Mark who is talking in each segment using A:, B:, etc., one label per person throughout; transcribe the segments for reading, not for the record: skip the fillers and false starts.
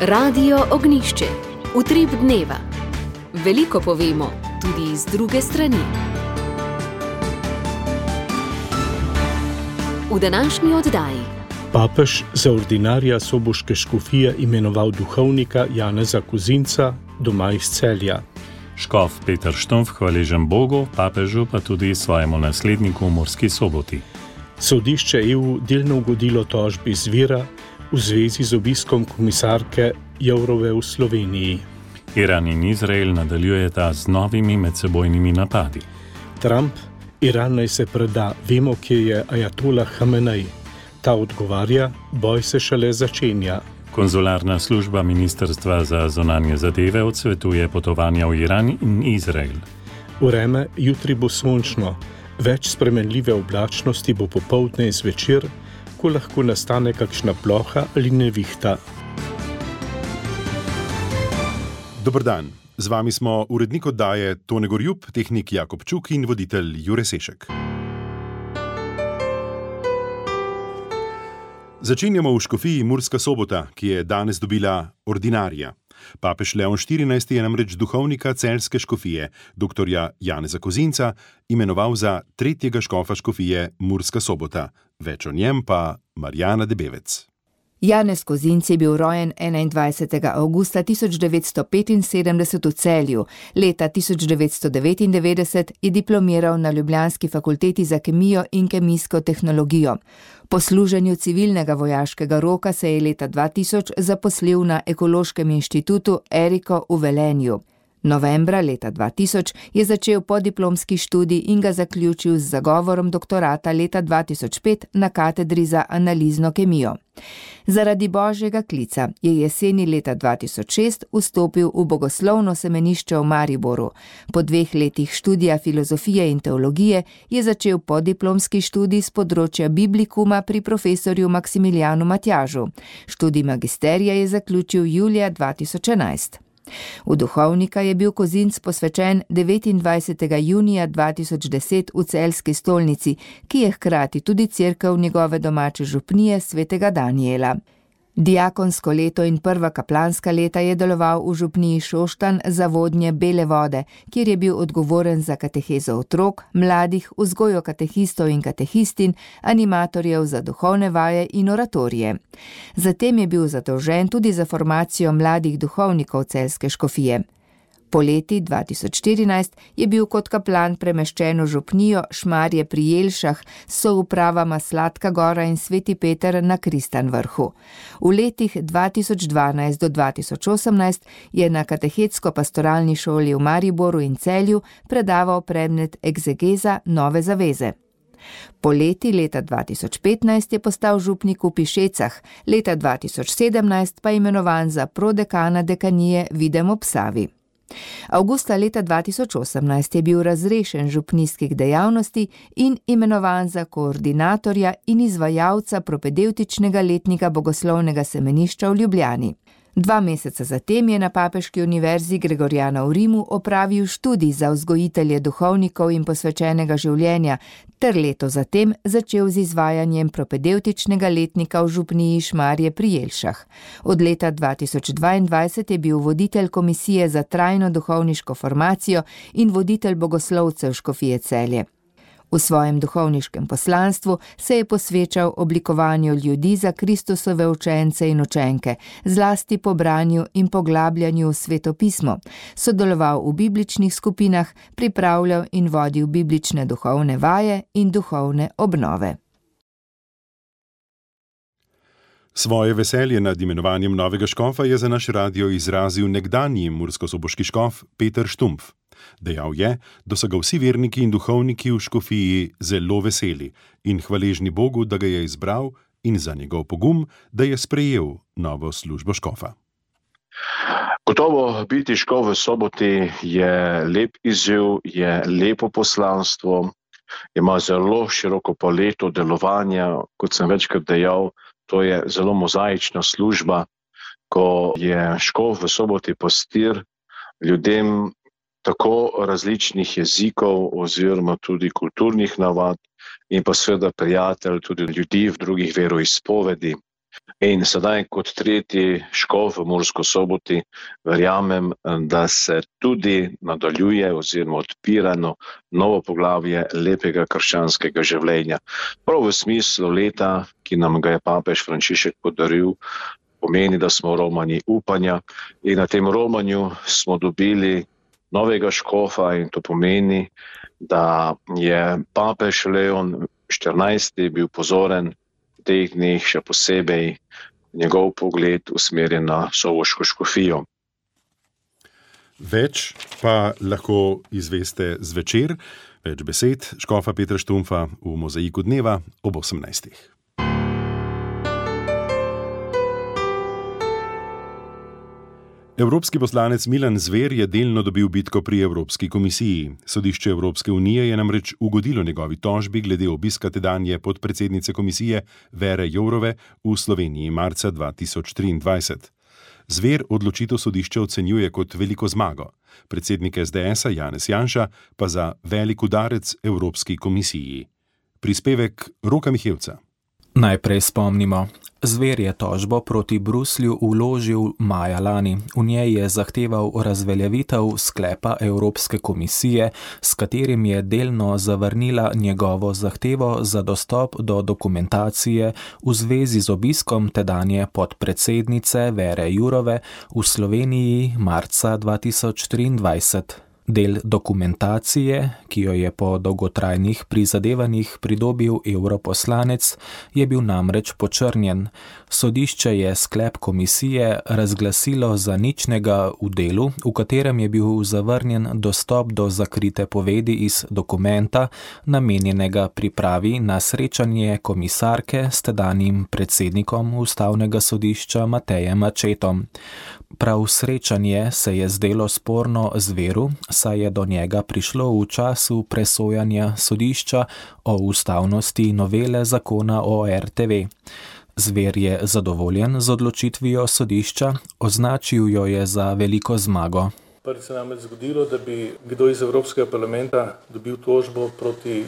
A: Radio Ognjišče. Utrip dneva. Veliko povemo, tudi iz druge strani. V današnji oddaji.
B: Papež za ordinarja soboške škofije imenoval duhovnika Janeza Kozinca, doma iz Celja.
C: Škof Peter Štumpf hvaležen Bogu, papežu pa tudi svojemu nasledniku v Murski Soboti.
B: Sodišče EU delno ugodilo tožbi Zvira v zvezi z obiskom komisarke Jourove v Sloveniji.
C: Iran in Izrael nadaljujeta z novimi medsebojnimi napadi.
B: Trump: Iran naj se preda, vemo, kje je ajatolah Hamenej. Ta odgovarja: boj se šele začenja.
C: Konzularna služba Ministrstva za zunanje zadeve odsvetuje potovanja v Iran in Izrael.
B: Vreme: jutri bo sončno, več spremenljive oblačnosti bo popoldne in zvečer, ko lahko nastane kakšna ploha ali nevihta.
D: Dober dan, z vami smo urednik oddaje Tone Gorjup, tehnik Jakob Čuk in voditelj Jure Sešek. Začenjamo v škofiji Murska Sobota, ki je danes dobila ordinarja. Papež Leon XIV je namreč duhovnika celjske škofije, doktorja Janeza Kozinca, imenoval za tretjega škofa škofije Murska Sobota. Več o njem pa Marjana Debevec.
E: Janez Kozinc je bil rojen 21. avgusta 1975 v Celju. Leta 1999 je diplomiral na ljubljanski fakulteti za kemijo in kemijsko tehnologijo. Po služenju civilnega vojaškega roka se je leta 2000 zaposlil na Ekološkem inštitutu Eriko v Velenju. Novembra leta 2000 je začel podiplomski študij in ga zaključil z zagovorom doktorata leta 2005 na katedri za analizno kemijo. Zaradi božjega klica je jeseni leta 2006 vstopil v bogoslovno semenišče v Mariboru. Po 2 letih študija filozofije in teologije je začel podiplomski študij z področja biblikuma pri profesorju Maksimilijanu Matjažu. Študij magisterija je zaključil julija 2011. V duhovnika je bil Kozinc posvečen 29. junija 2010 v celjski stolnici, ki je hkrati tudi cerkev njegove domače župnije svetega Danijela. Diakonsko leto in prva kaplanska leta je deloval v župniji Šoštanj za vodnje Bele vode, kjer je bil odgovoren za katehezo otrok, mladih, vzgojo katehistov in katehistin, animatorjev za duhovne vaje in oratorije. Zatem je bil zadolžen tudi za formacijo mladih duhovnikov celjske škofije. Poleti 2014 je bil kot kaplan premeščen v župnijo Šmarje pri Jelšah s soupravama Sladka Gora in Sveti Peter na Kristanvrhu. V letih 2012 do 2018 je na katehetsko-pastoralni šoli v Mariboru in Celju predaval predmet egzegeza Nove zaveze. Poleti leta 2015 je postal župnik v Pišecah, leta 2017 pa imenovan za prodekana dekanije Videm ob Savi. Avgusta leta 2018 je bil razrešen župnijskih dejavnosti in imenovan za koordinatorja in izvajalca propedevtičnega letnika bogoslovnega semenišča v Ljubljani. 2 meseca zatem je na Papeški univerzi Gregorjana v Rimu opravil študij za vzgojitelje duhovnikov in posvečenega življenja ter leto zatem začel z izvajanjem propedevtičnega letnika v župniji Šmarje pri Jelšah. Od leta 2022 je bil voditelj komisije za trajno duhovniško formacijo in voditelj bogoslovcev škofije Celje. V svojem duhovniškem poslanstvu se je posvečal oblikovanju ljudi za Kristusove učence in učenke, zlasti po branju in poglabljanju v svetopismo, sodeloval v bibličnih skupinah, pripravljal in vodil biblične duhovne vaje in duhovne obnove.
D: Svoje veselje nad imenovanjem novega škofa je za naš radio izrazil nekdanji murskosoboški škof Peter Štumpf. Dejal je, da so ga vsi verniki in duhovniki v škofiji zelo veseli in hvaležni Bogu, da ga je izbral, in za njegov pogum, da je sprejel novo službo škofa.
F: Gotovo biti škof v Soboti je lep izziv, je lepo poslanstvo, ima zelo široko paleto delovanja, kot sem večkrat dejal, to je zelo mozaična služba, ko je škof v Soboti pastir ljudem tako različnih jezikov oziroma tudi kulturnih navad in pa seveda prijatelj tudi ljudi v drugih veroizpovedi. In sedaj kot tretji škof v Murski Soboti verjamem, da se tudi nadaljuje oziroma odpirano novo poglavje lepega krščanskega življenja. Prav v smislu leta, ki nam ga je papež Frančišek podaril, pomeni, da smo romani upanja in na tem romanju smo dobili novega škofa in to pomeni, da je papež Leon XIV bil pozoren teh dneh še posebej njegov pogled usmerjen na sovoško škofijo.
D: Več pa lahko izveste zvečer, več besed škofa Petra Štumpfa v Mozaiku dneva ob 18. Evropski poslanec Milan Zver je delno dobil bitko pri Evropski komisiji. Sodišče Evropske unije je namreč ugodilo njegovi tožbi glede obiska tedanje podpredsednice komisije Vere Jourove v Sloveniji marca 2023. Zver odločitev sodišča ocenjuje kot veliko zmago, predsednik SDS-a Janez Janša pa za velik udarec Evropski komisiji. Prispevek Roka Mihevca.
G: Najprej spomnimo. Zver je tožbo proti Bruslju vložil maja lani. V njej je zahteval razveljavitev sklepa Evropske komisije, s katerim je delno zavrnila njegovo zahtevo za dostop do dokumentacije v zvezi z obiskom tedanje podpredsednice Vere Jourove v Sloveniji marca 2023. Del dokumentacije, ki jo je po dolgotrajnih prizadevanjih pridobil europoslanec, je bil namreč počrnjen. Sodišče je sklep komisije razglasilo za ničnega v delu, v katerem je bil zavrnjen dostop do zakrite povedi iz dokumenta, namenjenega pripravi na srečanje komisarke s tedanjim predsednikom Ustavnega sodišča Matejem Accettom. Prav srečanje se je zdelo sporno Zveru, saj je do njega prišlo v času presojanja sodišča o ustavnosti novele zakona o RTV. Zver je zadovoljen z odločitvijo sodišča, označil jo je za veliko zmago.
H: Prvi se nam je zgodilo, da bi kdo iz Evropskega parlamenta dobil tožbo proti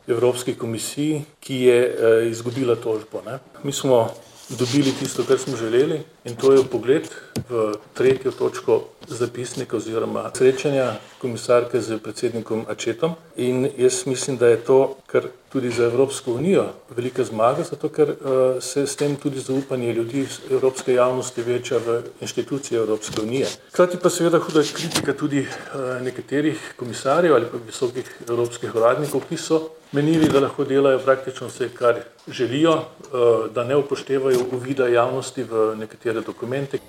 H: Evropski komisiji, ki je izgubila tožbo. Mi smo dobili tisto, kar smo želeli, in to je vpogled v tretjo točko zapisnika oziroma srečanja komisarke z predsednikom Accettom. In jaz mislim, da je to, kar tudi za Evropsko unijo velika zmaga, zato ker se s tem tudi zaupanje ljudi evropske javnosti veča v inštitucije Evropske unije. Hkrati pa seveda huda kritika tudi nekaterih komisarjev ali pa visokih evropskih uradnikov, ki so menili, da lahko delajo praktično vse, kar želijo, da ne upoštevajo uvida javnosti v nekatere dokumente.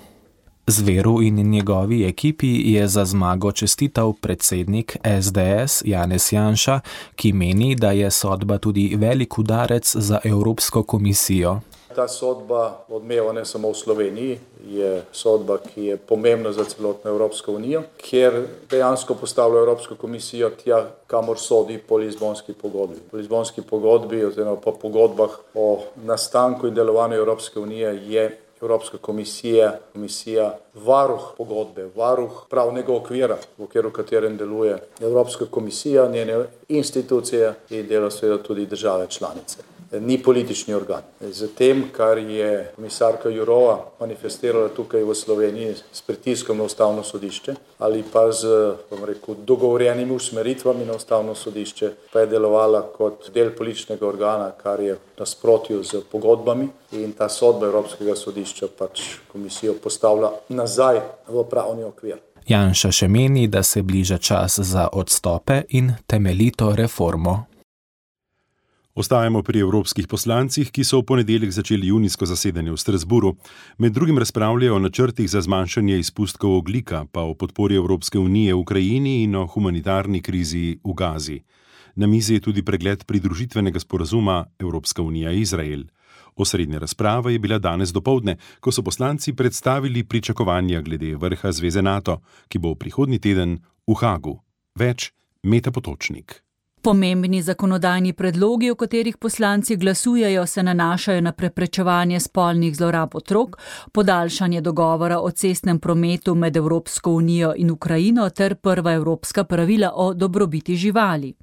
G: Zveru in njegovi ekipi je za zmago čestital predsednik SDS Janez Janša, ki meni, da je sodba tudi velik udarec za Evropsko komisijo.
I: Ta sodba odmeva ne samo v Sloveniji, je sodba, ki je pomembna za celotno Evropsko unijo, kjer dejansko postavlja Evropsko komisijo tja, kamor sodi po Lizbonski pogodbi. Po Lizbonski pogodbi oziroma po pogodbah o nastanku in delovanju Evropske unije je Evropska komisija varuh pogodbe, varuh pravnega okvira, v okviru katerem deluje Evropska komisija, njene institucije in dela seveda tudi države članice. Ni politični organ. Z tem, kar je komisarka Jourova manifestirala tukaj v Sloveniji s pritiskom na Ustavno sodišče ali pa z, dogovorjenimi usmeritvami na Ustavno sodišče, pa je delovala kot del političnega organa, kar je v nasprotju z pogodbami, in ta sodba Evropskega sodišča pač komisijo postavlja nazaj v pravni okvir.
G: Janša še meni, da se bliža čas za odstope in temeljito reformo.
D: Ostajamo pri evropskih poslancih, ki so v ponedeljek začeli junijsko zasedanje v Strasburu. Med drugim razpravljajo o načrtih za zmanjšanje izpustkov ogljika, pa o podpori Evropske unije v Ukrajini in o humanitarni krizi v Gazi. Na mizi je tudi pregled pridružitvenega sporazuma Evropska unija-Izrael. Osrednja razprava je bila danes dopoldne, ko so poslanci predstavili pričakovanja glede vrha Zveze NATO, ki bo prihodnji teden v Hagu. Več Meta Potočnik.
J: Pomembni zakonodajni predlogi, o katerih poslanci glasujejo, se nanašajo na preprečevanje spolnih zlorab otrok, podaljšanje dogovora o cestnem prometu med Evropsko unijo in Ukrajino ter prva evropska pravila o dobrobiti živali.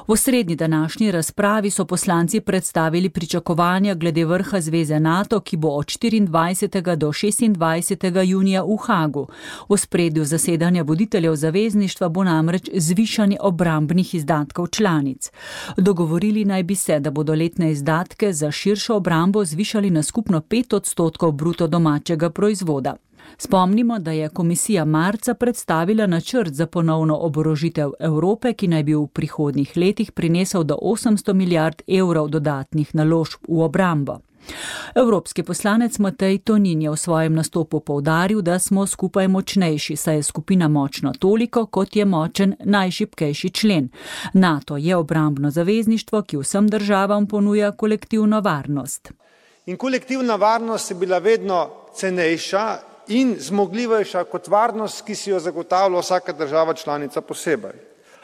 J: V osrednji današnji razpravi so poslanci predstavili pričakovanja glede vrha Zveze NATO, ki bo od 24. do 26. junija v Hagu. V ospredju zasedanja voditeljev zavezništva bo namreč zvišanje obrambnih izdatkov članic. Dogovorili naj bi se, da bodo letne izdatke za širšo obrambo zvišali na skupno 5% bruto domačega proizvoda. Spomnimo, da je komisija marca predstavila načrt za ponovno oborožitev Evrope, ki naj bi v prihodnjih letih prinesel do 800 milijard evrov dodatnih naložb v obrambo. Evropski poslanec Matej Tonin je v svojem nastopu poudaril, da smo skupaj močnejši, saj je skupina močna toliko, kot je močen najšibkejši člen. NATO je obrambno zavezništvo, ki vsem državam ponuja kolektivno varnost.
K: In kolektivna varnost je bila vedno cenejša in zmogljivejša kot varnost, ki si jo zagotavlja vsaka država članica posebej.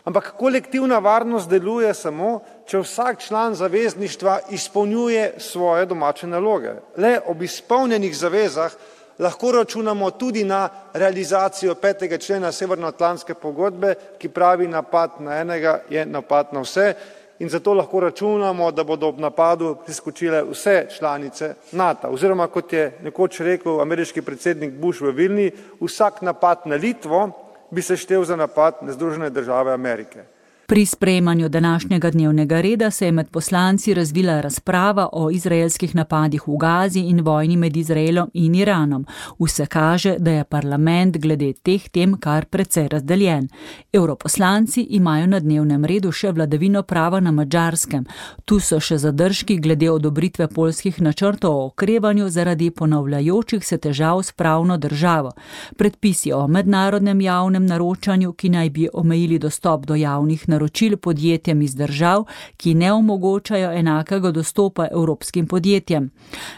K: Ampak kolektivna varnost deluje samo, če vsak član zavezništva izpolnjuje svoje domače naloge. Le ob izpolnjenih zavezah lahko računamo tudi na realizacijo 5. člena Severnoatlantske pogodbe, ki pravi, napad na enega je napad na vse, in zato lahko računamo, da bodo ob napadu priskočile vse članice NATO. Oziroma, kot je nekoč rekel ameriški predsednik Bush v Vilni, vsak napad na Litvo bi se štel za napad na Združene države Amerike.
J: Pri sprejemanju današnjega dnevnega reda se je med poslanci razvila razprava o izraelskih napadih v Gazi in vojni med Izraelom in Iranom. Vse kaže, da je parlament glede teh tem kar precej razdeljen. Europoslanci imajo na dnevnem redu še vladavino prava na Madžarskem. Tu so še zadržki glede odobritve poljskih načrtov o okrevanju zaradi ponavljajočih se težav s pravno državo. Predpisi o mednarodnem javnem naročanju, ki naj bi omejili dostop do javnih naročil podjetjem iz držav, ki ne omogočajo enakega dostopa evropskim podjetjem.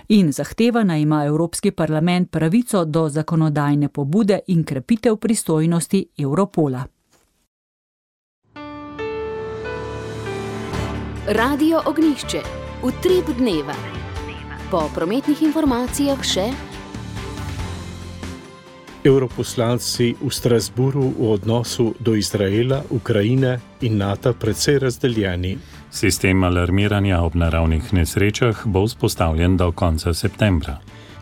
J: In zahteva naj ima Evropski parlament pravico do zakonodajne pobude in krepitev pristojnosti Europola.
A: Radio Ognjišče. Utrip dneva. Po prometnih informacijah še
B: Evroposlanci v Strasburu v odnosu do Izraela, Ukrajine in NATO precej razdeljeni.
C: Sistem alarmiranja ob naravnih nesrečah bo vzpostavljen do konca septembra.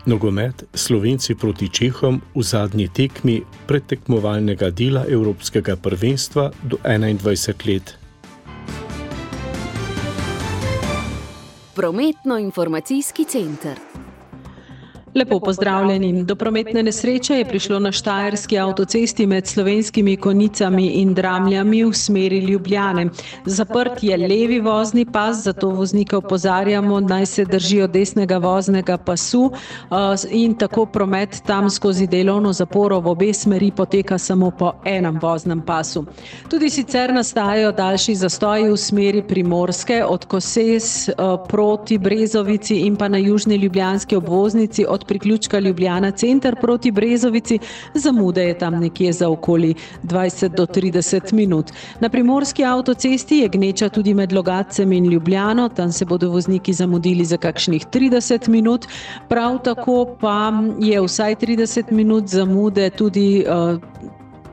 B: Nogomet Slovenci proti Čehom v zadnji tekmi predtekmovalnega dela Evropskega prvenstva do 21 let.
A: Prometno-informacijski center.
L: Lepo pozdravljeni. Do prometne nesreče je prišlo na Štajerski avtocesti med Slovenskimi Konjicami in Dramljami v smeri Ljubljane. Zaprt je levi vozni pas, zato voznike opozarjamo, naj se držijo desnega voznega pasu in tako promet tam skozi delovno zaporo v obe smeri poteka samo po enem voznem pasu. Tudi sicer nastajajo daljši zastoji v smeri Primorske od Koses proti Brezovici in pa na južni ljubljanski obvoznici od priključka Ljubljana center proti Brezovici, zamude je tam nekje za okoli 20 do 30 minut. Na primorski avtocesti je gneča tudi med Logatcem in Ljubljano, tam se bodo vozniki zamudili za kakšnih 30 minut, prav tako pa je vsaj 30 minut zamude tudi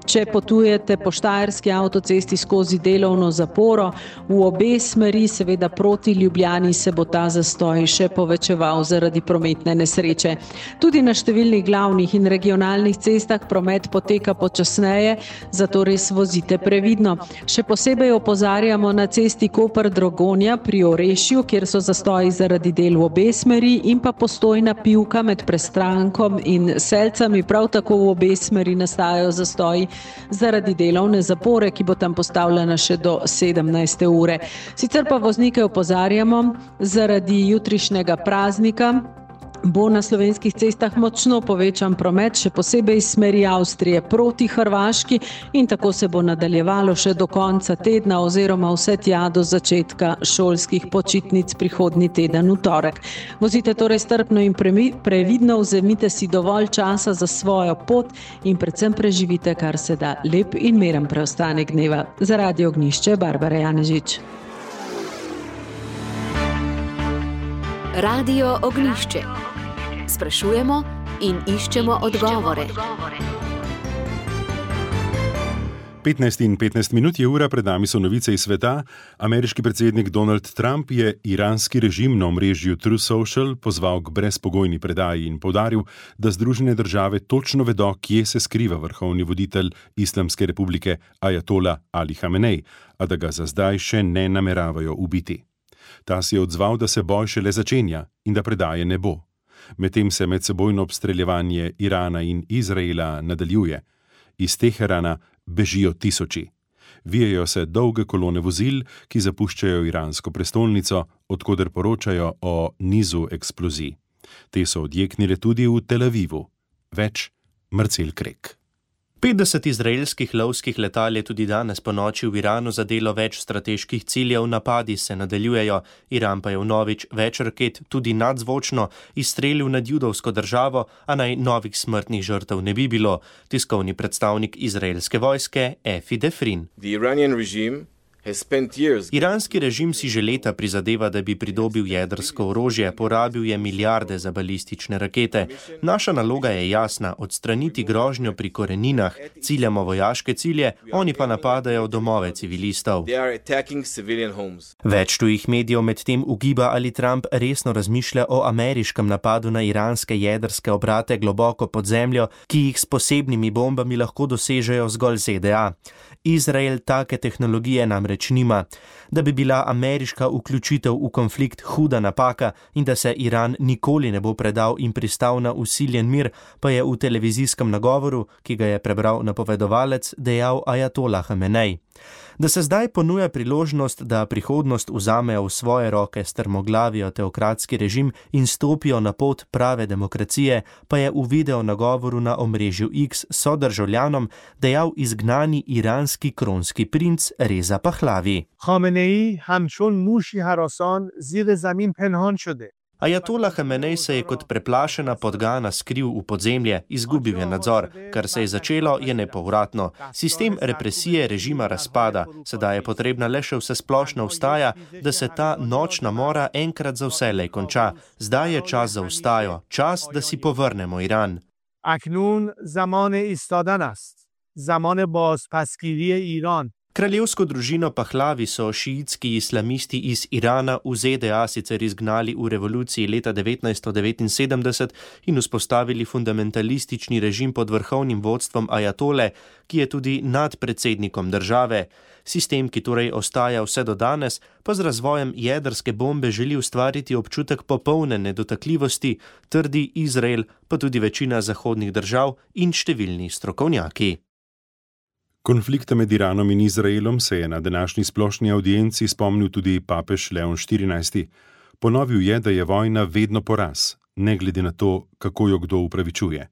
L: če potujete po Štajerski avtocesti skozi delovno zaporo. V obe smeri, seveda proti Ljubljani, se bo ta zastoj še povečeval zaradi prometne nesreče. Tudi na številnih glavnih in regionalnih cestah promet poteka počasneje, zato res vozite previdno. Še posebej opozarjamo na cesti Koper-Dragonja pri Orešju, kjer so zastoji zaradi del v obe smeri, in pa Postojna Pivka med Prestrankom in Selcami, prav tako v obe smeri nastajajo zastoji zaradi delovne zapore, ki bo tam postavljena še do 17. ure. Sicer pa voznike opozarjamo, zaradi jutrišnjega praznika bo na slovenskih cestah močno povečan promet, še posebej iz smeri Avstrije proti Hrvaški, in tako se bo nadaljevalo še do konca tedna oziroma vse tja do začetka šolskih počitnic prihodnji teden v torek. Vozite torej strpno in previdno, vzemite si dovolj časa za svojo pot in predvsem preživite kar se da lep in miren preostanek dneva. Za Radio Ognjišče, Barbara Janežič.
A: Radio Ognjišče. Sprašujemo in iščemo odgovore.
D: 15:15 je ura, pred nami so novice iz sveta. Ameriški predsednik Donald Trump je iranski režim na omrežju Truth Social pozval k brezpogojni predaji in poudaril, da Združene države točno vedo, kje se skriva vrhovni voditelj Islamske republike Ajatola Ali Hamenej, a da ga za zdaj še ne nameravajo ubiti. Ta si je odzval, da se boj šele začenja in da predaje ne bo. Medtem se medsebojno obstreljevanje Irana in Izraela nadaljuje. Iz Teherana bežijo tisoči. Vijejo se dolge kolone vozil, ki zapuščajo iransko prestolnico, odkoder poročajo o nizu eksplozij. Te so odjeknile tudi v Tel Avivu. Več Marcel Krek.
M: 50 izraelskih lovskih letal je tudi danes ponoči v Iranu zadelo več strateških ciljev, napadi se nadaljujejo. Iran pa je vnovič več raket, tudi nadzvočno, izstrelil nad judovsko državo, a naj novih smrtnih žrtev ne bi bilo. Tiskovni predstavnik izraelske vojske Efi Defrin. Iranski režim si že leta prizadeva, da bi pridobil jedrsko orožje, porabil je milijarde za balistične rakete. Naša naloga je jasna, odstraniti grožnjo pri koreninah, ciljamo vojaške cilje, oni pa napadajo domove civilistov. Več tujih medijev medtem ugiba, ali Trump resno razmišlja o ameriškem napadu na iranske jedrske obrate globoko pod zemljo, ki jih s posebnimi bombami lahko dosežejo zgolj ZDA. Izrael take tehnologije namreč nima. Da bi bila ameriška vključitev v konflikt huda napaka in da se Iran nikoli ne bo predal in pristal na vsiljen mir, pa je v televizijskem nagovoru, ki ga je prebral napovedovalec, dejal Ajatola Hamenej. Da se zdaj ponuja priložnost, da prihodnost vzamejo v svoje roke strmoglavijo teokratski režim in stopijo na pot prave demokracije, pa je v video nagovoru na omrežju X sodržavljanom dejal izgnani iranski kronski princ Reza Pahlavi.
N: Khamenei hamchon mushi harasan zir zamin penhan shode.
M: Ajatola Hamenej se je kot preplašena podgana skril v podzemlje, izgubil je nadzor. Kar se je začelo, je nepovratno. Sistem represije režima razpada, sedaj je potrebna le še vsesplošna vstaja, da se ta nočna mora enkrat za vselej konča. Zdaj je čas za vstajo, čas, da si povrnemo Iran.
N: Aknun zamane istadan ast. Zamane bazpaskiri Iran.
M: Kraljevsko družino Pahlavi so šiitski islamisti iz Irana v ZDA sicer izgnali v revoluciji leta 1979 in vzpostavili fundamentalistični režim pod vrhovnim vodstvom Ajatole, ki je tudi nad predsednikom države. Sistem, ki torej ostaja vse do danes, pa z razvojem jedrske bombe želi ustvariti občutek popolne nedotakljivosti, trdi Izrael, pa tudi večina zahodnih držav in številni strokovnjaki.
D: Konflikta med Iranom in Izraelom se je na današnji splošni audienci spomnil tudi papež Leon XIV. Ponovil je, da je vojna vedno poraz, ne glede na to, kako jo kdo upravičuje.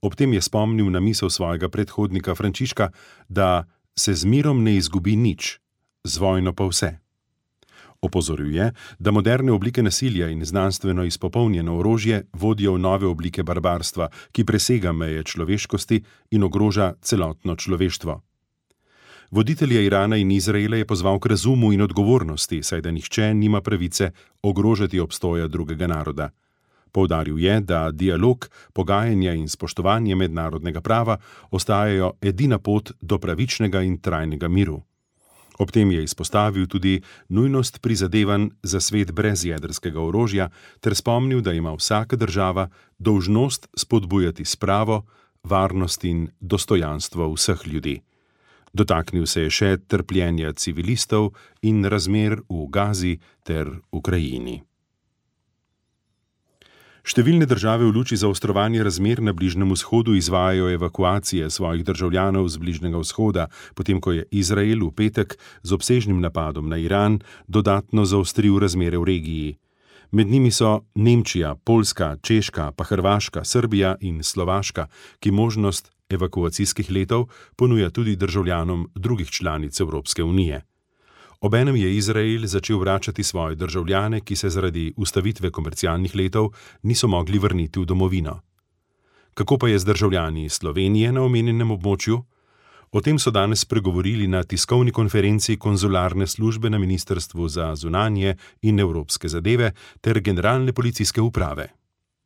D: Ob tem je spomnil na misel svojega predhodnika Frančiška, da se z mirom ne izgubi nič, z vojno pa vse. Opozoril je, da moderne oblike nasilja in znanstveno izpopolnjeno orožje vodijo v nove oblike barbarstva, ki presega meje človeškosti in ogroža celotno človeštvo. Voditelja Irana in Izraela je pozval k razumu in odgovornosti, saj da nihče nima pravice ogrožati obstoja drugega naroda. Poudaril je, da dialog, pogajanja in spoštovanje mednarodnega prava ostajajo edina pot do pravičnega in trajnega miru. Ob tem je izpostavil tudi nujnost prizadevanj za svet brez jedrskega orožja ter spomnil, da ima vsaka država dolžnost spodbujati spravo, varnost in dostojanstvo vseh ljudi. Dotaknil se je še trpljenja civilistov in razmer v Gazi ter Ukrajini. Številne države v luči zaostrovanja razmer na Bližnjem vzhodu izvajajo evakuacije svojih državljanov z Bližnjega vzhoda, potem ko je Izrael v petek z obsežnim napadom na Iran dodatno zaostril razmere v regiji. Med njimi so Nemčija, Poljska, Češka, pa Hrvaška, Srbija in Slovaška, ki možnost evakuacijskih letov ponuja tudi državljanom drugih članic Evropske unije. Obenem je Izrael začel vračati svoje državljane, ki se zaradi ustavitve komercialnih letov niso mogli vrniti v domovino. Kako pa je z državljani Slovenije na omenjenem območju? O tem so danes spregovorili na tiskovni konferenci konzularne službe na Ministrstvu za zunanje in evropske zadeve ter generalne policijske uprave.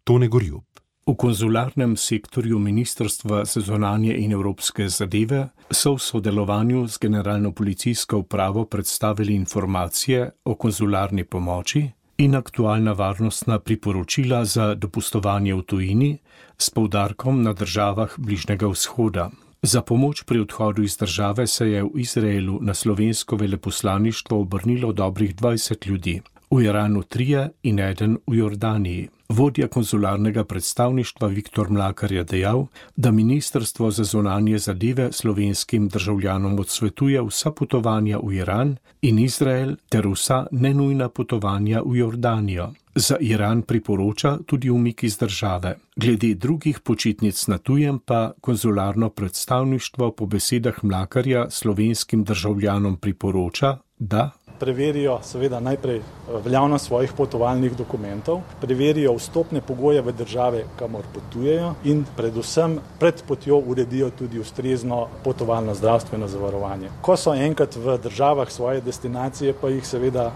D: Tone Gorjup.
B: V konzularnem sektorju Ministrstva za zunanje in evropske zadeve so v sodelovanju z Generalno policijsko upravo predstavili informacije o konzularni pomoči in aktualna varnostna priporočila za dopustovanje v tujini s poudarkom na državah Bližnjega vzhoda. Za pomoč pri odhodu iz države se je v Izraelu na slovensko veleposlaništvo obrnilo dobrih 20 ljudi, v Iranu 3 in 1 v Jordaniji. Vodja konzularnega predstavništva Viktor Mlakar je dejal, da Ministrstvo za zunanje zadeve slovenskim državljanom odsvetuje vsa potovanja v Iran in Izrael ter vsa nenujna potovanja v Jordanijo. Za Iran priporoča tudi umik iz države. Glede drugih počitnic na tujem pa konzularno predstavništvo po besedah Mlakarja slovenskim državljanom priporoča, da
O: preverijo seveda najprej veljavnost svojih potovalnih dokumentov, preverijo vstopne pogoje v države, kamor potujejo in predvsem pred potjo uredijo tudi ustrezno potovalno zdravstveno zavarovanje. Ko so enkrat v državah svoje destinacije, pa jih seveda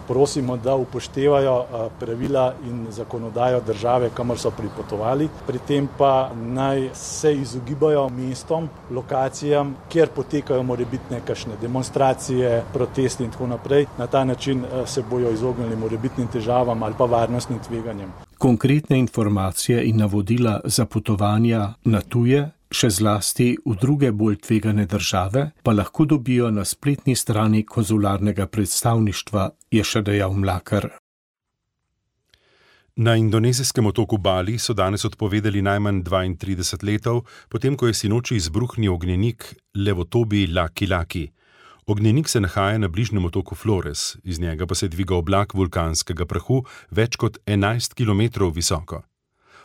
O: prosimo, da upoštevajo pravila in zakonodajo države, kamor so pripotovali. Pri tem pa naj se izogibajo mestom, lokacijam, kjer potekajo morebitne kakšne demonstracije, protesti in tako naprej. Na ta način se bojo izognili morebitnim težavam ali pa varnostnim tveganjem.
B: Konkretne informacije in navodila za potovanja na tuje, še zlasti v druge bolj tvegane države, pa lahko dobijo na spletni strani konzularnega predstavništva, je še dejal Mlakar.
D: Na indonezijskem otoku Bali so danes odpovedali najmanj 32 letov, potem ko je sinoči izbruhnil ognjenik Levotobi Laki-Laki. Ognjenik se nahaja na bližnjem otoku Flores, iz njega pa se dviga oblak vulkanskega prahu več kot 11 km visoko.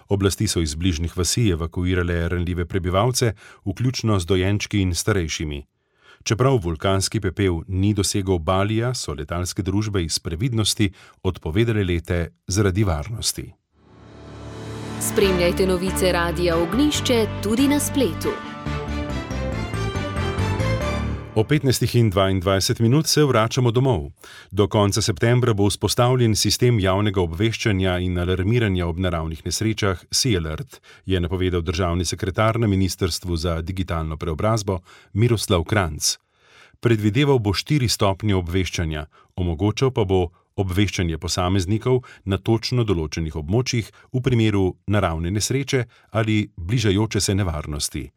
D: Oblasti so iz bližnjih vasi evakuirale ranljive prebivalce, vključno z dojenčki in starejšimi. Čeprav vulkanski pepel ni dosegel Balija, so letalske družbe iz previdnosti odpovedale lete zaradi varnosti.
A: Spremljajte novice Radia Ognjišče tudi na spletu.
D: O 15:22 se vračamo domov. Do konca septembra bo vzpostavljen sistem javnega obveščanja in alarmiranja ob naravnih nesrečah SeaAlert, je napovedal državni sekretar na Ministrstvu za digitalno preobrazbo Miroslav Kranjc. Predvideval bo 4 stopnje obveščanja, omogočal pa bo obveščanje posameznikov na točno določenih območjih v primeru naravne nesreče ali bližajoče se nevarnosti.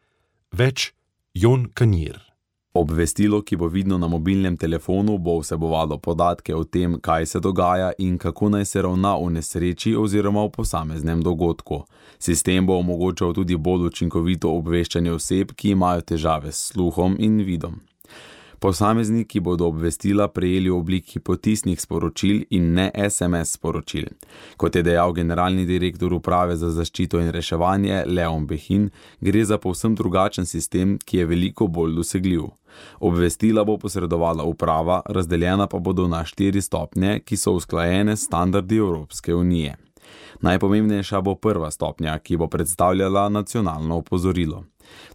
D: Več Jon Kanjir.
P: Obvestilo, ki bo vidno na mobilnem telefonu, bo vsebovalo podatke o tem, kaj se dogaja in kako naj se ravna v nesreči oziroma v posameznem dogodku. Sistem bo omogočal tudi bolj učinkovito obveščanje oseb, ki imajo težave s sluhom in vidom. Posamezniki bodo obvestila prejeli v obliki potisnih sporočil in ne SMS sporočil. Kot je dejal generalni direktor Uprave za zaščito in reševanje Leon Behin, gre za povsem drugačen sistem, ki je veliko bolj dosegljiv. Obvestila bo posredovala uprava, razdeljena pa bodo na 4 stopnje, ki so usklajene s standardi Evropske unije. Najpomembnejša bo 1. stopnja, ki bo predstavljala nacionalno opozorilo.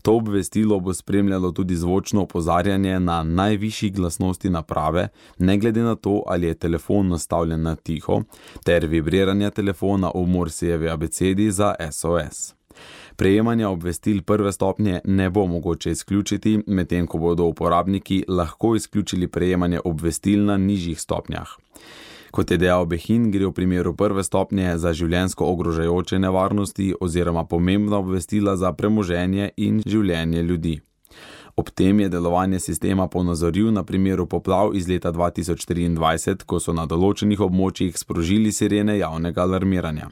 P: To obvestilo bo spremljalo tudi zvočno opozarjanje na najvišji glasnosti naprave, ne glede na to, ali je telefon nastavljen na tiho, ter vibriranje telefona v Morsejevi abecedi za SOS. Prejemanja obvestil 1. stopnje ne bo mogoče izključiti, medtem ko bodo uporabniki lahko izključili prejemanje obvestil na nižjih stopnjah. Kot je dejal Behin, gre v primeru 1. stopnje za življenjsko ogrožajoče nevarnosti oziroma pomembna obvestila za premoženje in življenje ljudi. Ob tem je delovanje sistema ponazoril na primeru poplav iz leta 2023, ko so na določenih območjih sprožili sirene javnega alarmiranja.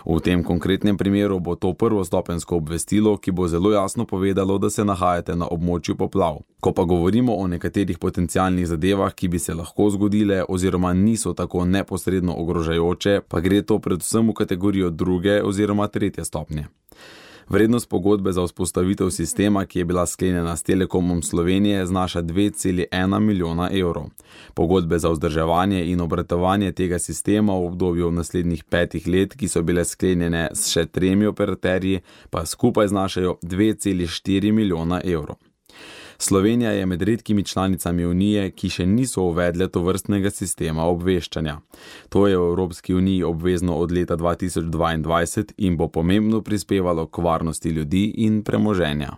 P: V tem konkretnem primeru bo to prvostopenjsko obvestilo, ki bo zelo jasno povedalo, da se nahajate na območju poplav. Ko pa govorimo o nekaterih potencialnih zadevah, ki bi se lahko zgodile oziroma niso tako neposredno ogrožajoče, pa gre to predvsem v kategorijo 2. oziroma 3. stopnje. Vrednost pogodbe za vzpostavitev sistema, ki je bila sklenjena s Telekomom Slovenije, znaša 2,1 milijona evrov. Pogodbe za vzdrževanje in obratovanje tega sistema v obdobju naslednjih 5 let, ki so bile sklenjene s še 3 operaterji, pa skupaj znašajo 2,4 milijona evrov. Slovenija je med redkimi članicami Unije, ki še niso uvedle tovrstnega sistema obveščanja. To je v Evropski uniji obvezno od leta 2022 in bo pomembno prispevalo k varnosti ljudi in premoženja.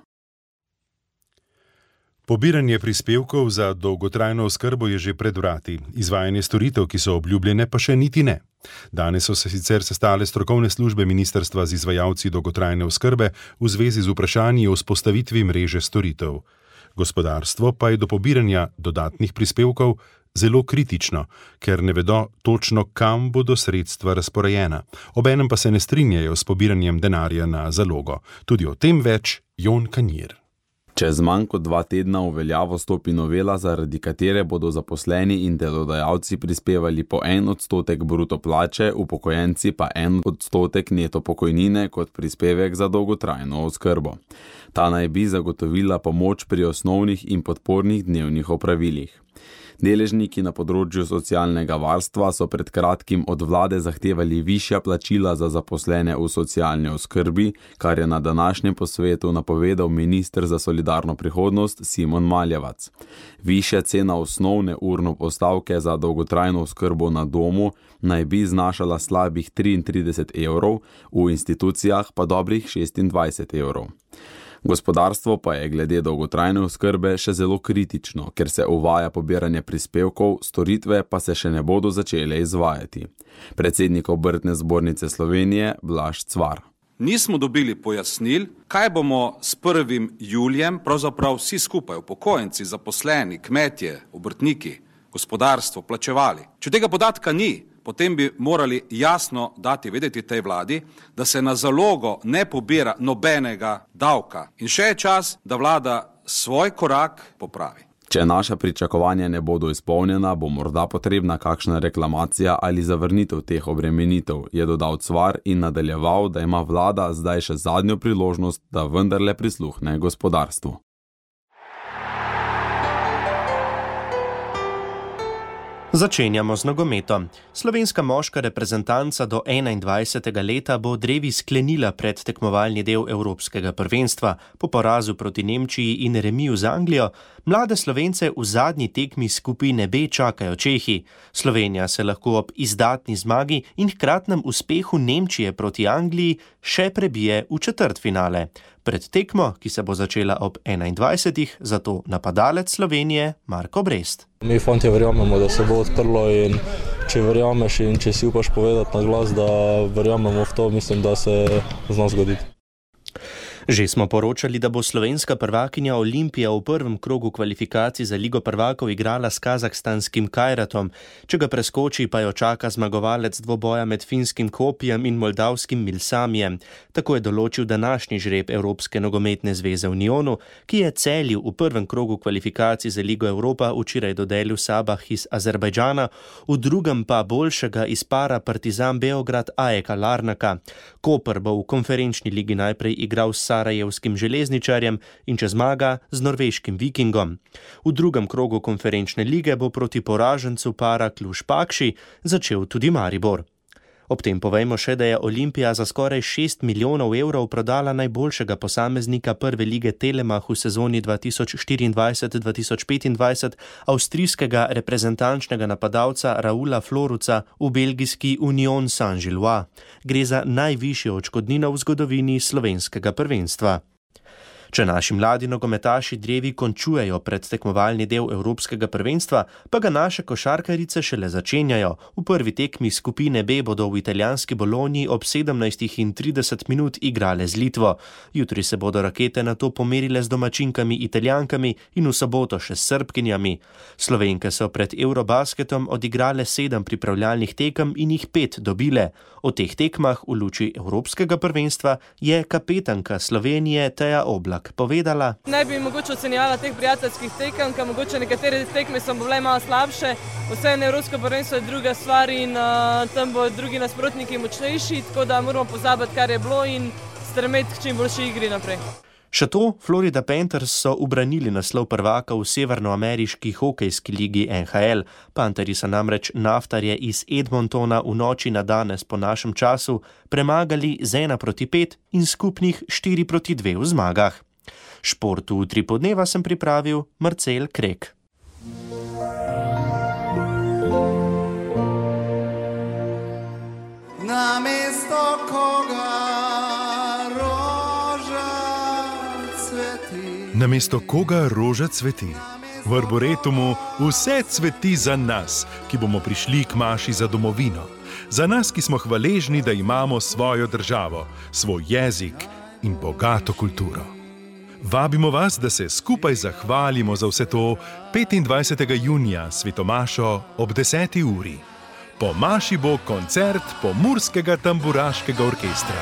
D: Pobiranje prispevkov za dolgotrajno oskrbo je že pred vrati, izvajanje storitev, ki so obljubljene, pa še niti ne. Danes so se sicer sestale strokovne službe ministrstva z izvajalci dolgotrajne oskrbe v zvezi z vprašanji o vzpostavitvi mreže storitev. Gospodarstvo pa je do pobiranja dodatnih prispevkov zelo kritično, ker ne vedo točno, kam bodo sredstva razporejena. Obenem pa se ne strinjajo s pobiranjem denarja na zalogo. Tudi o tem več Jon Kanjir.
P: Čez manj kot 2 tedna v veljavo stopi novela, zaradi katere bodo zaposleni in delodajalci prispevali po 1% bruto plače, upokojenci pa 1% neto pokojnine kot prispevek za dolgotrajno oskrbo. Ta naj bi zagotovila pomoč pri osnovnih in podpornih dnevnih opravilih. Deležniki na področju socialnega varstva so pred kratkim od vlade zahtevali višja plačila za zaposlene v socialni oskrbi, kar je na današnjem posvetu napovedal minister za solidarno prihodnost Simon Maljevac. Višja cena osnovne urno postavke za dolgotrajno oskrbo na domu naj bi znašala slabih 33 evrov, v institucijah pa dobrih 26 evrov. Gospodarstvo pa je glede dolgotrajne oskrbe še zelo kritično, ker se uvaja pobiranje prispevkov, storitve pa se še ne bodo začele izvajati. Predsednik Obrtne zbornice Slovenije Blaž Cvar.
Q: Nismo dobili pojasnil, kaj bomo s 1. julijem, pravzaprav vsi skupaj, upokojenci, zaposleni, kmetje, obrtniki, gospodarstvo, plačevali. Če tega podatka ni, potem bi morali jasno dati vedeti tej vladi, da se na zalogo ne pobira nobenega davka. In še je čas, da vlada svoj korak popravi.
P: Če naša pričakovanja ne bodo izpolnjena, bo morda potrebna kakšna reklamacija ali zavrnitev teh obremenitev, je dodal Cvar in nadaljeval, da ima vlada zdaj še zadnjo priložnost, da vendarle prisluhne gospodarstvu.
M: Začenjamo z nogometom. Slovenska moška reprezentanca do 21. leta bo drevi sklenila predtekmovalni del Evropskega prvenstva. Po porazu proti Nemčiji in remiju z Anglijo, mlade Slovence v zadnji tekmi skupine B čakajo Čehi. Slovenija se lahko ob izdatni zmagi in hkratnem uspehu Nemčije proti Angliji še prebije v četrtfinale. Pred tekmo, ki se bo začela ob 21. zato napadalec Slovenije Marko Brest.
R: Mi fantje verjamemo, da se bo odprlo in če verjameš in če si upaš povedati na glas, da verjamemo v to, mislim, da se zna zgoditi.
M: Že smo poročali, da bo slovenska prvakinja Olimpija v prvem krogu kvalifikacij za Ligo prvakov igrala s kazahstanskim Kajratom. Če ga preskoči, pa jo čaka zmagovalec dvoboja med finskim Kopijem in moldavskim Milsamijem. Tako je določil današnji žreb Evropske nogometne zveze Unionu, ki je Celju v prvem krogu kvalifikacij za Ligo Evropa včeraj dodelil Sabah iz Azerbajdžana, v drugem pa boljšega iz para Partizan Beograd AEK Larnaka. Koper bo v konferenčni ligi najprej igral s sarajevskim železničarjem in če zmaga z norveškim Vikingom. V drugem krogu konferenčne lige bo proti poražencu para Kluž-Pakši začel tudi Maribor. Ob tem povejmo še, da je Olimpija za skoraj 6 milijonov evrov prodala najboljšega posameznika prve lige Telemach v sezoni 2024-2025, avstrijskega reprezentančnega napadalca Raula Floruca v belgijski Union Saint-Gillois. Gre za najvišjo odškodnino v zgodovini slovenskega prvenstva. Če naši mladi nogometaši drevi končujejo predtekmovalni del Evropskega prvenstva, pa ga naše košarkarice šele začenjajo. V prvi tekmi skupine B bodo v italijanski Bologni ob 17:30 igrale z Litvo. Jutri se bodo rakete nato pomerile z domačinkami Italijankami in v soboto še s Srbkinjami. Slovenke so pred Eurobasketom odigrale 7 pripravljalnih tekem in jih 5 dobile. O teh tekmah v luči Evropskega prvenstva je kapetanka Slovenije Teja Oblak povedala.
S: Ne bi mogoče ocenjevala teh prijateljskih tekem, ker mogoče nekatere tekme so bile malo slabše. Vseeno Evropsko prvenstvo je druga stvar in tam bo drugi nasprotniki močnejši, tako da moramo pozabiti, kar je bilo in stremeti k čim boljši igri naprej.
M: Še to, Florida Panthers so ubranili naslov prvaka v severnoameriški hokejski ligi NHL. Pantherji so namreč Naftarje iz Edmontona v noči na danes po našem času premagali z 1-5 in skupnih 4-2 v zmagah. Šport v Utripu dneva sem pripravil Marcel Krek.
T: Namesto koga roža cveti.
D: Namesto koga roža cveti. V Arboretumu vse cveti za nas, ki bomo prišli k maši za domovino. Za nas, ki smo hvaležni, da imamo svojo državo, svoj jezik in bogato kulturo. Vabimo vas, da se skupaj zahvalimo za vse to 25. junija svetomašo ob 10. uri. Po maši bo koncert Pomurskega tamburaškega orkestra.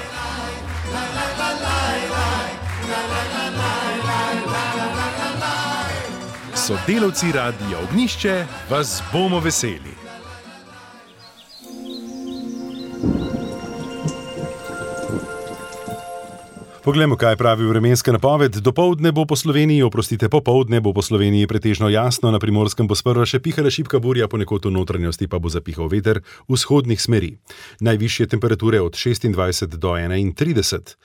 D: Sodelavci Radia Ognjišče vas bomo veseli. Poglejmo, kaj pravi vremenska napoved. Popoldne bo po Sloveniji pretežno jasno, na Primorskem bo sprva še pihala šibka burja, ponekod v notranjosti pa bo zapihal veter vzhodnih smeri. Najvišje temperature od 26 do 31.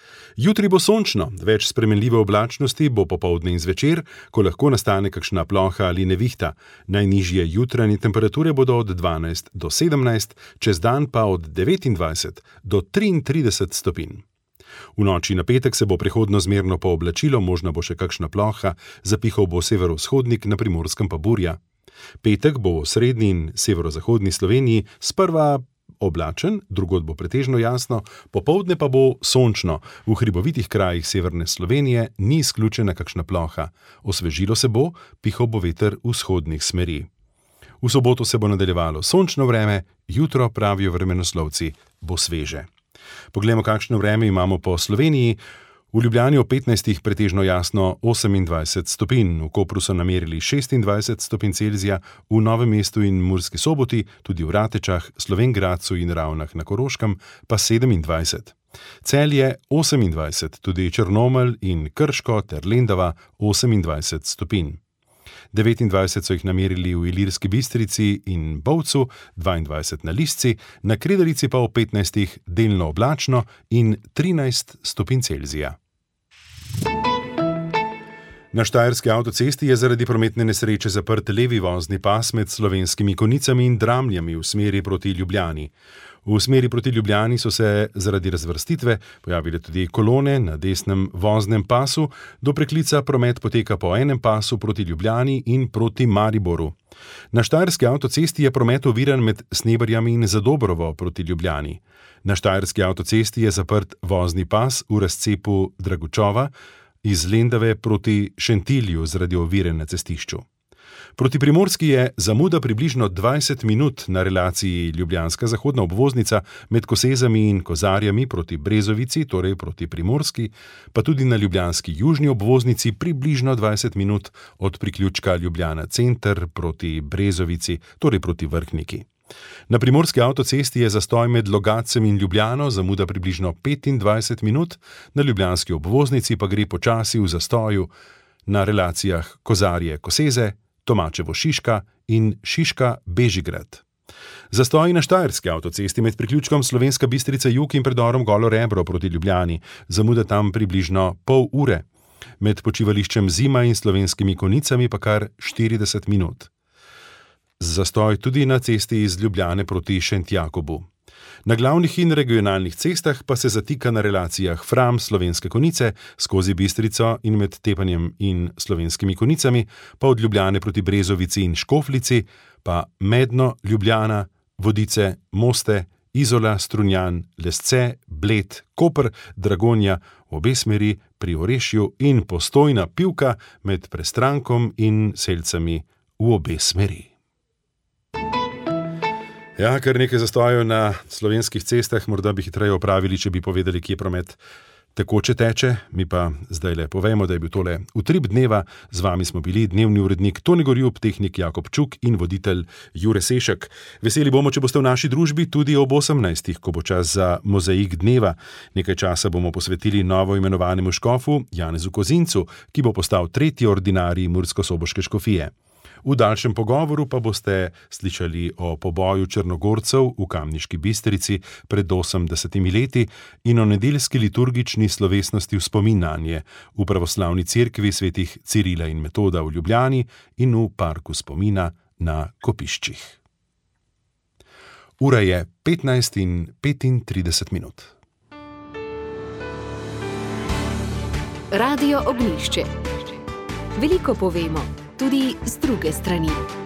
D: Jutri bo sončno, več spremenljive oblačnosti bo popoldne in zvečer, ko lahko nastane kakšna ploha ali nevihta. Najnižje jutranje temperature bodo od 12 do 17, čez dan pa od 29 do 33 stopinj. V noči na petek se bo prehodno zmerno pooblačilo, možna bo še kakšna ploha, zapihal bo severovzhodnik, na Primorskem pa burja. Petek bo v srednji in severozahodni Sloveniji sprva oblačen, drugod bo pretežno jasno, popoldne pa bo sončno. V hribovitih krajih severne Slovenije ni izključena kakšna ploha. Osvežilo se bo, pihal bo veter vzhodnih smeri. V soboto se bo nadaljevalo sončno vreme, jutro, pravijo vremenoslovci, bo sveže. Poglejmo, kakšno vreme imamo po Sloveniji. V Ljubljani ob 15 pretežno jasno 28 stopinj, v Kopru so namerili 26 stopinj Celzija, v Novem mestu in Murski Soboti, tudi v Ratečah, Slovenj Gradcu in Ravnah na Koroškem pa 27. Celje 28, tudi Črnomelj in Krško ter Lendava 28 stopinj. 29 so jih namerili v Ilirski Bistrici in Bovcu, 22 na Lisci, na Kredarici pa v 15 delno oblačno in 13 stopinj Celzija. Na Štajerski avtocesti je zaradi prometne nesreče zaprt levi vozni pas med Slovenskimi Konjicami in Dramljami v smeri proti Ljubljani. V smeri proti Ljubljani so se zaradi razvrstitve pojavile tudi kolone na desnem voznem pasu, do preklica promet poteka po enem pasu proti Ljubljani in proti Mariboru. Na Štajerski avtocesti je promet oviran med Sneberjami in Zadobrovo proti Ljubljani. Na Štajerski avtocesti je zaprt vozni pas v razcepu Dragučova iz Lendave proti Šentilju zaradi ovire na cestišču. Proti Primorski je zamuda približno 20 minut na relaciji Ljubljanska zahodna obvoznica med Kosezami in Kozarjami proti Brezovici, torej proti Primorski, pa tudi na ljubljanski južni obvoznici približno 20 minut od priključka Ljubljana center proti Brezovici, torej proti Vrhniki. Na Primorski avtocesti je zastoj med Logacem in Ljubljano, zamuda približno 25 minut, na ljubljanski obvoznici pa gre počasi v zastoju na relacijah Kozarje-Koseze, Tomačevo-Šiška in Šiška-Bežigrad. Zastoji na Štajerski avtocesti med priključkom Slovenska Bistrica jug in predorom Golo Rebro proti Ljubljani, zamuda tam približno pol ure. Med počivališčem Zima in Slovenskimi Konjicami pa kar 40 minut. Zastoj tudi na cesti iz Ljubljane proti Šentjakobu. Na glavnih in regionalnih cestah pa se zatika na relacijah Fram Slovenske Konjice skozi Bistrico in med Tepanjem in Slovenskimi Konjicami, pa od Ljubljane proti Brezovici in Škoflici, pa Medno, Ljubljana, Vodice, Moste, Izola, Strunjan, Lesce, Bled, Koper, Dragonja, v obe smeri pri Orešju in Postojna Pivka med Prestrankom in Selcami v obe smeri. Ja, kar nekaj zastojev na slovenskih cestah, morda bi hitreje opravili, če bi povedali, kje promet tekoče teče. Mi pa zdaj le povemo, da je bil tole Utrip dneva. Z vami smo bili dnevni urednik Toni Gorjup, tehnik Jakob Čuk in voditelj Jure Sešek. Veseli bomo, če boste v naši družbi tudi ob 18, ko bo čas za mozaik dneva. Nekaj časa bomo posvetili novo imenovanemu škofu Janezu Kozincu, ki bo postal tretji ordinarij murskosoboške škofije. V daljšem pogovoru pa boste slišali o poboju Črnogorcev v Kamniški Bistrici pred 80 leti in o nedeljski liturgični slovesnosti v spomin nanje v pravoslavni cerkvi svetih Cirila in Metoda v Ljubljani in v parku spomina na Kopiščih. Ura je 15:35.
A: Radio Ognjišče. Veliko povemo, tudi z druge strani.